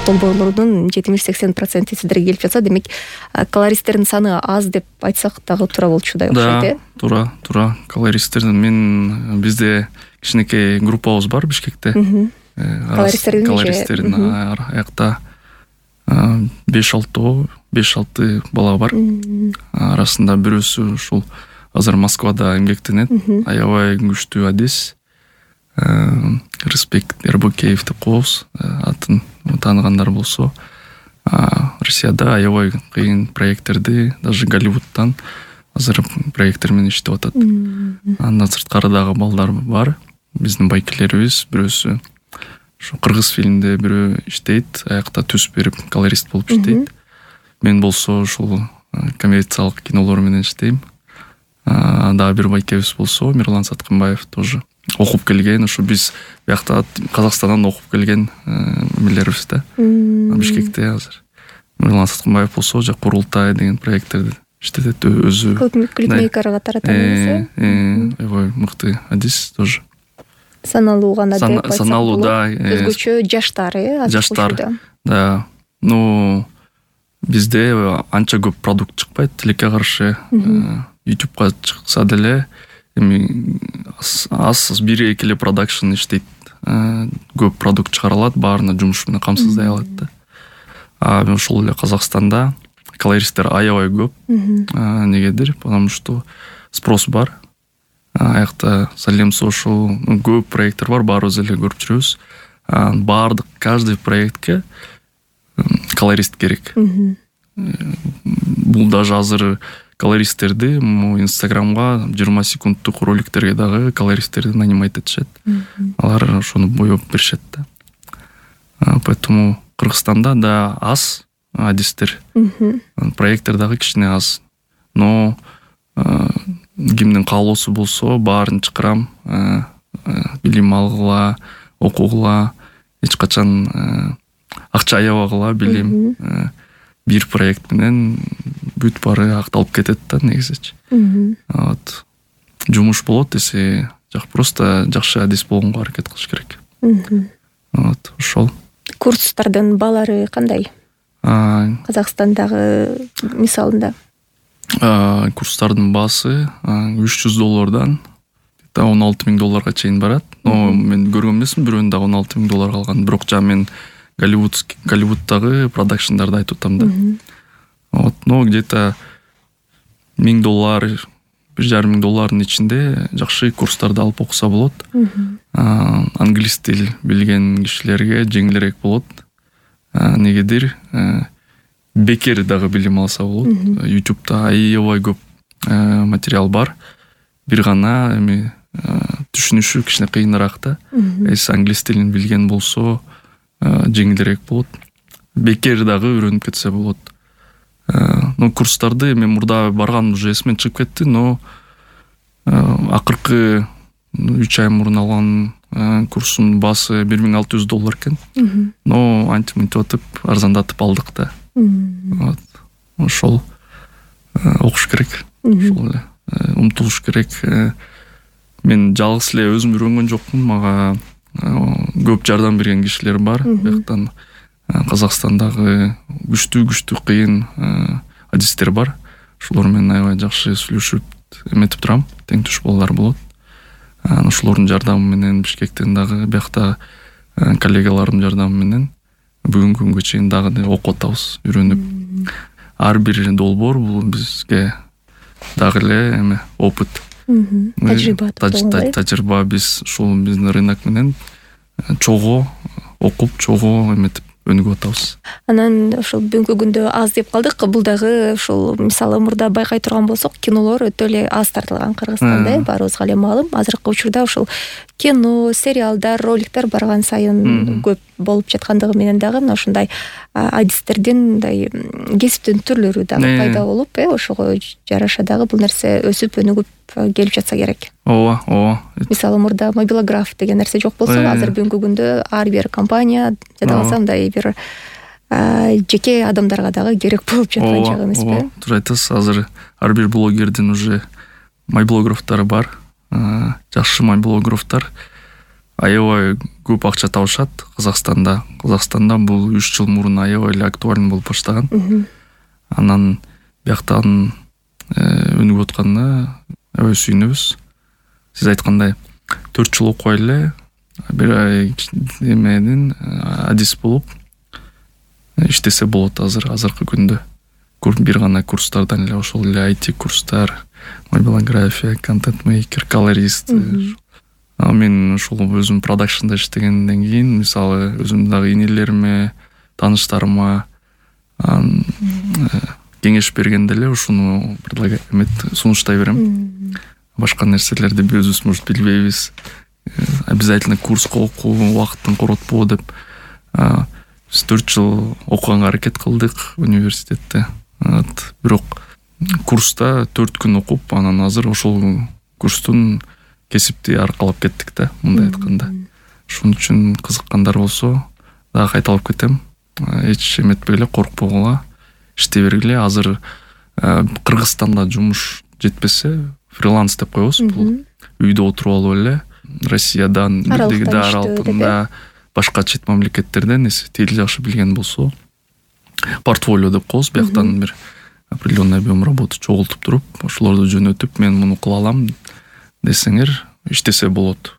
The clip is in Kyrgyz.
долбоорлордун 70-80% сиздерге келип жатса, демек колористтердин саны аз деп айтсак дагы туура болчудай окшойт, Туура. Колористтердин бизде кичинекей группабыз бар Бишкекте. Колористтердин аякта 5-6 бала бар. Арасында бирөөсү ушул азыр Москвада эмгектенет. Аябай күчтүү адис. Респект Эрбокеев деп коебуз. Атын тааныгандар болсо, Россияда аябай кыйын проекттерди, даже Голливудтан азыр проекттер менен иштеп атат. Андан сырткары дагы балдар бар. Биздин байкелерибиз бирөөсү ошо кыргыз фильмде бирөө иштейт, аякта түз берип колорист болуп иштейт. Мен болсо ушул коммерциялык кинолор менен иштейм. Дагы бир байкебиз болсо Мирлан Саткынбаев тоже окуп келген, ушу биз биякта Казакстандан окуп келген эмелерибиз да. Бишкекте азыр Мирлан Саткынбаев болсо жак Курултай деген проекттерди иштетет өзү. Клипмейкер катары танылат. Аябай мыкты адис тоже. Саналуу гана деп айтсак. Саналуу, да. Өзгөчө жаштар, Да. Бизде анча көп продукт чыкпайт. Тилекке каршы YouTube'га чыкса деле эми аз бир-эки эле продакшн иштейт. Көп продукт чыгарылат, баарына жумуш менен камсыздай алат да. Ошол эле Казакстанда колористтер аябай көп. Негедир? Потому что спрос бар. Аякта Салем Social көп проекттер бар, баарыбыз эле көрүп жүрөбүз. Баардык каждый проектке колорист керек. Бул даже азыр колористтерди Инстаграмга 20 секундтук роликтерге дагы колористтерди нанимать этишет. Алар ошону боеп беришет да. Поэтому Кыргызстанда да аз адистер. Проекттер дагы кичине аз. Но кимдин каалоосу болсо баарын чакырам, билим алгыла, окугула, эч качан акча аябагыла, билим. Бир проект менен бүт баары акталып кетет да негизичи. Жумуш болот десе, просто жакшы адис болгонго аракет кылыш керек. Ошол. Курстардын баалары кандай? Казакстандагы мисалында. Курстардын баасы $300 $16,000 чейин барат. Но мен көргөн эмесмин, бирөөнүн дагы $16,000 алган. Бирок жана мен Голливудтагы продакшндарды айтып атам да. Но где-то $1,000, $1,500 ичинде жакшы курстарды алып окуса болот. Англис тил билген кишилерге жеңилирээк болот. Негедир? Бекер дагы билим алса болот. YouTube'да аябай көп материал бар. Бир гана эми түшүнүшү кичине кыйыныраак да. Эс англис тилин билген болсо жеңилирээк болот. Бекер дагы үйрөнүп кетсе болот. Но курстарды мен мурда барган уже эсимен чыгып кетти, но акыркы 3 ай мурун алган курстун баасы $1,600 экен. Но антиминтип атып арзандатып алдык да. Ошол окуш керек. Ошол эле умтулуш керек. Мен жалгыз эле өзүм үйрөнгөн жокмун. Мага көп жардам берген кишилер бар. Бияктан Казакстандагы күчтүү кыйын адистер бар. Ошолор менен аябай жакшы сүйлөшүп эметип турам. Тең туш балдар болот. Ошолордун жардамы менен Бишкектен дагы биякта коллегалардын жардамы менен бүгүнкү күнгө чейин дагы окуп атабыз, үйрөнүп. Ар бир долбоор бул бизге дагы эле эме опыт. Тажрыйба. Биз ушул биздин рынок менен чогуу окуп, чогуу эметип өнүгүп атабыз. Анан ошол бүгүнкү күндө аз деп калдык. Бул дагы ушул мисалы мурда байкай турган болсок, кинолор өтө эле аз тартылган Кыргызстанда, баарыбызга эле маалым. Азыркы учурда ушул кино, сериалдар, роликтер барган сайын көп болуп жаткандыгы менен дагы мына ушундай адистердин мындай кесиптин түрлөрү дагы пайда болуп, ошого жараша дагы бул нерсе өсүп өнүгүп келип жатса керек. Ооба. Мисалы мурда мобилограф деген нерсе жок болсо, азыр бүгүнкү күндө ар бир компания жада калса мындай бир жеке адамдарга дагы керек болуп жаткан чак эмеспи? Туура айтасыз. Азыр ар бир блогердин уже мобилографтары бар. Жакшы мобилографтар. аябай көп акча табышат Казакстанда. Казакстанда бул 3 жыл мурун аябай эле актуален болуп баштаган. Анан бияктан өнүгүп атканда аябай сүйүнөбүз. Сиз айткандай 4 жыл окуй эле бир эменин адис болуп иштесе болот азыркы күндө. Бир гана курстардан эле ошол эле IT курстар, мобилография, контент-мейкер, колорист. Мен ошол өзүм продакшнда иштегенден кийин, мисалы, өзүм дагы инелериме, тааныштарыма кеңеш бергенде эле ушуну сунуштай берем. Башка нерселерди өзүбүз может билбейбиз. Обязательно курска окуу, убакыттын коротпоо деп. Биз 4 жыл окуганга аракет кылдык университетте. Бирок курста 4 күн окуп, анан азыр ошол курстун кесипти аркалап кеттик да, мындай айтканда. Ошон үчүн кызыккандар болсо, дагы кайталап кетем. Эч эметпей эле, коркпогула, иштей бергиле. Азыр Кыргызстанда жумуш жетпесе, фриланс деп коебуз. Бул үйдө отуруп алып эле Россиядан, Аралдан, башка чет мамлекеттерден тил жакшы билген болсо, портфолио деп коебуз, бияктан бир определенный объем работы чогултуп туруп, ошолорду жөнөтүп, мен муну кыла алам десеңер, иштесе болот.